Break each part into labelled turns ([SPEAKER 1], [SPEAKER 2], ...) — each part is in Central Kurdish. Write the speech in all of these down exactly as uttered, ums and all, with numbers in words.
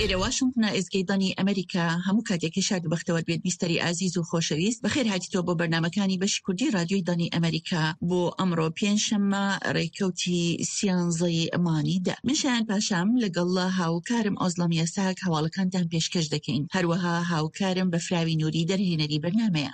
[SPEAKER 1] ئێرە واشنتنە، ئێزگەی دەنگی ئەمریکا. هەموو کاتێکی شاد و بەختەوەر بێت بیستەری ئازیز و خۆشەویست. بەخێر هاتیتەوە بۆ بەرنامەکانی بەشی کوردی رادیۆی دەنگی ئەمریکا بۆ ئەمڕۆ پێنجشەممە ڕێکەوتی سیانزەی مانگی دە. من شایان پاشام لەگەڵ هاوکارم ئۆزڵەم یاساک هەواڵەکانتان پێشکەش دەکەین. هەروەها هاوکارم بەفراوی نوری دەرهێنەری بەرنامەیە.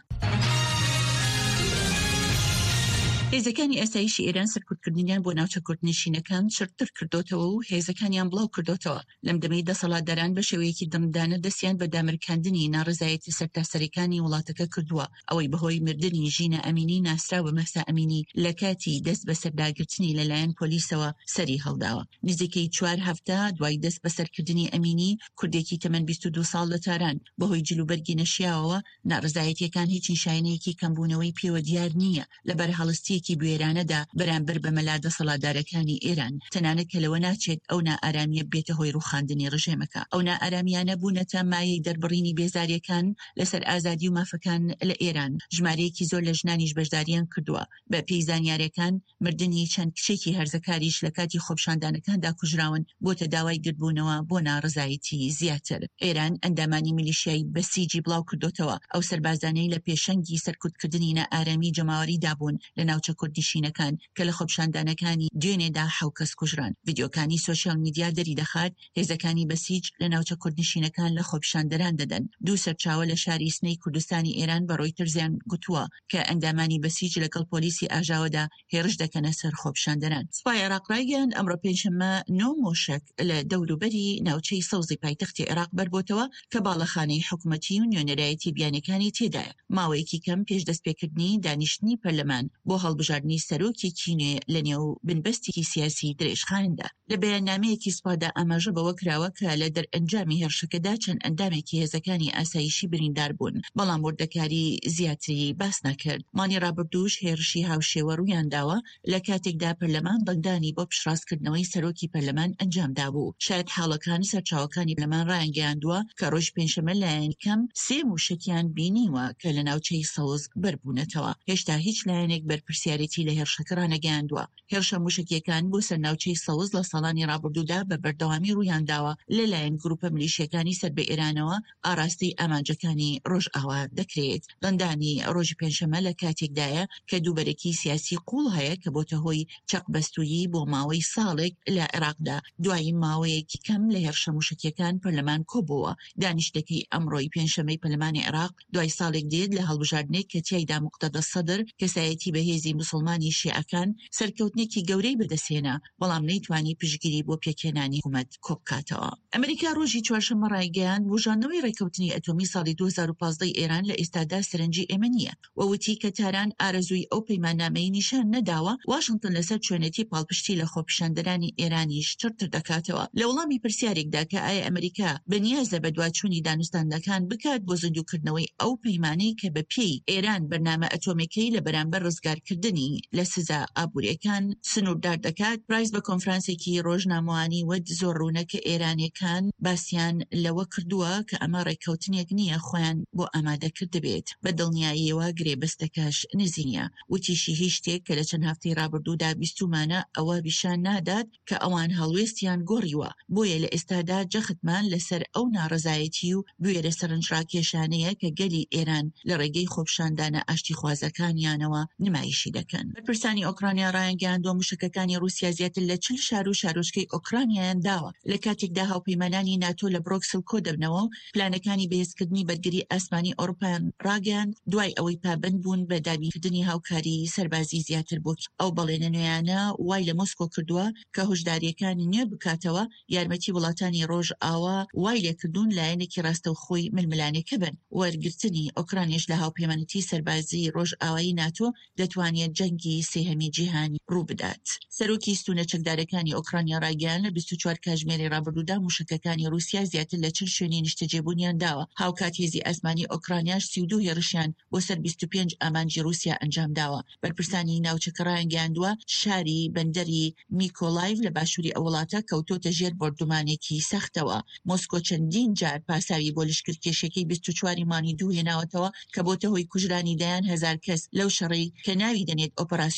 [SPEAKER 1] هێزەکانی ئاسایشی ئێران سەرکوتکردنیان بۆ ناوچە کوردنشینەکان چڕتر کردۆتەوە و هێزەکانیان بڵاو کردۆتەوە. لەم دەمەی دەسەڵاتداران بە شێوەیەکی دڕندانە دەستیان بە دامرکاندنی ناڕەزایەتی سەرتاسەریەکانی وڵاتەکە کردووە، ئەوەی بەهۆی مردنی ژینا ئەمینی ناسراو بە مەهسا ئەمینی لە کاتی دەست بەسەرداگرتنی لەلایەن پۆلیسەوە سەری هەڵداوە. نزیکەی چوار هەفتە دوای دەست بەسەرکردنی ئەمینی، کوردێکی تەمەن بیست و دوو ساڵ لە تاران، بەهۆی جلوبەرگی نەشیاوەوە ناڕەزایەتیەکان هیچ نیشانەیەکی کەمبوونەوەی پێوە دیار نییە لە بەرهەڵستیەکی بوێرانەدا بەرامبەر بە مەلا دەسەڵاتدارەکانی ئێران، تەنانەت کە لەوە ناچێت ئەو نائارامیە ببێتە هۆی ڕووخاندنی ڕژێمەکە. ئەو نائارامیانە بوونەتە مایەی دەربڕینی بێزاریەکان لەسەر ئازادی و مافەکان لە ئێران، ژمارەیەکی زۆر لە ژنانیش بەشداریان کردووە. بە پێی زانیاریەکان مردنی چەند کچێکی هەرزەکاریش لە کاتی خۆپیشاندانەکاندا کوژراون، بۆتە داوای گردبوونەوە بۆ ناڕەزایەتی زیاتر. ئێران ئەندامانی میلیشیای بەسیجی بڵاو کردۆتەوە، ئەو سەربازانەی لە پێشەنگی سەرکوتکردنی نائارامی جەماوەریدا بوون لە ناوچە کوردنشینەکان کە لە خۆپیشاندانەکانی دوێنێدا حەو کەس کوژران. ڤیدیۆکانی سۆشیال میدیا دەریدەخات هێزەکانی بەسیج لە ناوچە کوردنشینەکان لە خۆپیشاندەران دەدەن. دوو سەرچاوە لە شاری سنەی کوردستانی ئێران بە ڕۆیتەرزیان گوتووە کە ئەندامانی بەسیج لەگەڵ پۆلیسی ئاژاوەدا هێرش دەکەنە سەر خۆپیشاندەران. سوپای عێراق ڕایگەیاند، ئەمڕۆ پێنجشەممە نۆ مۆشەک لە دەوروبەری ناوچەی سەوزی پایتەختی عێراق بەربۆتەوە کە باڵەخانەی حکومەتی و نوێنەرایەتی بیانیەکانی تێدایە، ماوەیەکی کەم پێش دەستپێکردنی دانیشتنی پەرلەمان بۆ هەڵبژاردنی سەرۆکێکی نوێ لەنێو بنبەستێکی سیاسی درێژخایەندا. لە بەیاننامەیەکی سوپادا ئاماژە بەوە کراوە کە لە دەرئەنجامی هێرشەکەدا چەند ئەندامێکی هێزەکانی ئاسایشی بریندار بوون، بەڵام وردەکاری زیاتری باس نەکرد. مانگی ڕابردووش هێرشی هاوشێوە ڕوویانداوە لە کاتێکدا پەرلەمان دەنگدانی بۆ پشتڕاستکردنەوەی سەرۆکی پەرلەمان ئەنجامدابوو. شایەتحاڵەکان سەرچاوەکانی پەرلەمان ڕایانگەیاندووە کە ڕۆژی پێنجشەممە لایەنی کەم سێ مووشەکیان بینیوە کە لە ناوچەی سەوز بەربوونەتەوە. هێشتا هیچ لایەنێک بەرپرسیارێتی لە هێرشەکە ڕانەگەیاندووە. هێرشە مووشەکییەکان بۆ سەر ناوچەی سەوز لە ساڵانی ڕابردوودا بە بەردەوامی ڕوویانداوە لەلایەن گروپە ملیشیەکانی سەر بە ئێرانەوە ئاراستەی ئامانجەکانی ڕۆژئاوا دەکرێت. دەنگدانی ڕۆژی پێنجشەممە لە کاتێکدایە کە دووبەرەکی سیاسی قووڵ هەیە کە بۆتە هۆی چەقبەستوویی بۆ ماوەی ساڵێک لە عێراقدا. دوای ماوەیەکی کەم لە هێرشە مووشەکییەکان پەرلەمان کۆبۆوە. دانیشتنەکەی ئەمڕۆی پێنجشەممەی پەرلەمانی عێراق دوای ساڵێک دێت لە هەڵبژاردنێک کە تیایدا موقتەدا سەدر کەسایەتی بەهێزی موسڵمانی شیعەکان سەرکەوتنێکی گەورەی بەدەستهێنا، بەڵام نەیتوانی پشتگیری بۆ پێکهێنانی حکومەت کۆبکاتەوە. ئەمریکا ڕۆژی چوارشەممە ڕایگەیاند، بوژاندنەوەی ڕێککەوتنی ئەتۆمی ساڵی دوو هەزار و پازدە ی ئێران لە ئێستادا سەرنجی ئێمە نییە و وتی کە تاران ئارەزووی ئەو پەیماننامەی نیشان نەداوە. واشنتن لەسەر چۆنێتی پاڵپشتی لە خۆپیشاندەرانی ئێرانیش چڕتر دەکاتەوە. لە وەڵامی پرسیارێکدا کە ئایا ئەمریکا بەنیازە بەدواچوونی دانوستاندنەکان بکات بۆ زیندووکردنەوەی ئەو پەیمانەی کە بە پێی ئێران بەرنامە ئەتۆمیەکەی لە بەرامبەر ڕزگارکردنی لە سزا ئابووریەکان سنووردار دەکات، پرایس بە کۆنفرانسێکی ڕۆژنامەوانی وت زۆر ڕوونە کە ئێرانیەکان باسیان لەوە کردووە کە ئەمە ڕێککەوتنێک نییە خۆیان بۆ ئامادە کردبێت، بە دڵنیاییەوە گرێبەستەکەش نزیک نییە. وتیشی هیچ شتێک کە لە چەند هەفتەی ڕابردوودا بیستوومانە ئەوە پیشان نادات کە ئەوان هەڵوێستیان گۆڕیوە، بۆیە لە ئێستادا جەختمان لەسەر ئەو ناڕەزایەتی و بوێرە سەرنجڕاکێشانەیە کە گەلی ئێران لە ڕێگەی خۆپیشاندانە ئاشتیخوازەکانیانەوە نمایشی دەکەن. بەرپرسانی ئۆکرانیا ڕایانگەیاندووە موشەکەکانی ڕووسیا زیاتر لە چل شار و شارۆچکەی ئۆکرانیایان داوە، لە کاتێکدا هاوپەیمانانی ناتۆ لە برۆکسل کۆدەبنەوە و پلانەکانی بەهێزکردنی بەرگری ئاسمانی ئەوروپایان ڕاگەیاند دوای ئەوەی پابەند بوون بە دابینکردنی هاوکاری سەربازی زیاتر بۆ کیێڤ. ئەو بەڵێنە نوێیانە وای لە مۆسکۆ کردووە کە هۆشدارییەکانی نوێ بکاتەوە، یارمەتی وڵاتانی ڕۆژئاوا وای لێکردوون لایەنێکی ڕاستەوخۆی ململانێکە بن. وەرگرتنی ئۆکرانیش لە هاوپەیمانێتی سەربازیی ڕۆژئاوایی ناتۆ دەتوانێت جەنگی سێهەمی جیهانی ڕووبدات. سەرۆکی ستوونە چەکدارەکانی ئۆکرانیا ڕایگەیاند، لە بیست و چوار کاتژمێری ڕابردوودا مووشەکەکانی ڕووسیا زیاتر لە چل شوێنی نیشتەجێبوونیان داوە، هاوکات هێزی ئاسمانی ئۆکرانیاش سی و دوو هێرشیان بۆ سەر بیست و پێنج ئامانجی ڕووسیا ئەنجامداوە. بەرپرسانی ناوچەکە ڕایانگەیاندووە، شاری بەندەری میکۆلایڤ لە باشووری ئەو وڵاتە کەوتۆتە ژێر بۆردومانێکی سەختەوە. مۆسکۆ چەندین جار پاساوی بۆ لەشکرکێشیەکەی بیست و چوار ی مانگی دوو هێناوەتەوە کە بۆتە هۆی کوژرانی دەیان هەزار کەس لەو شەڕەی کە ناوی دەنێت ئۆپەراسیۆنی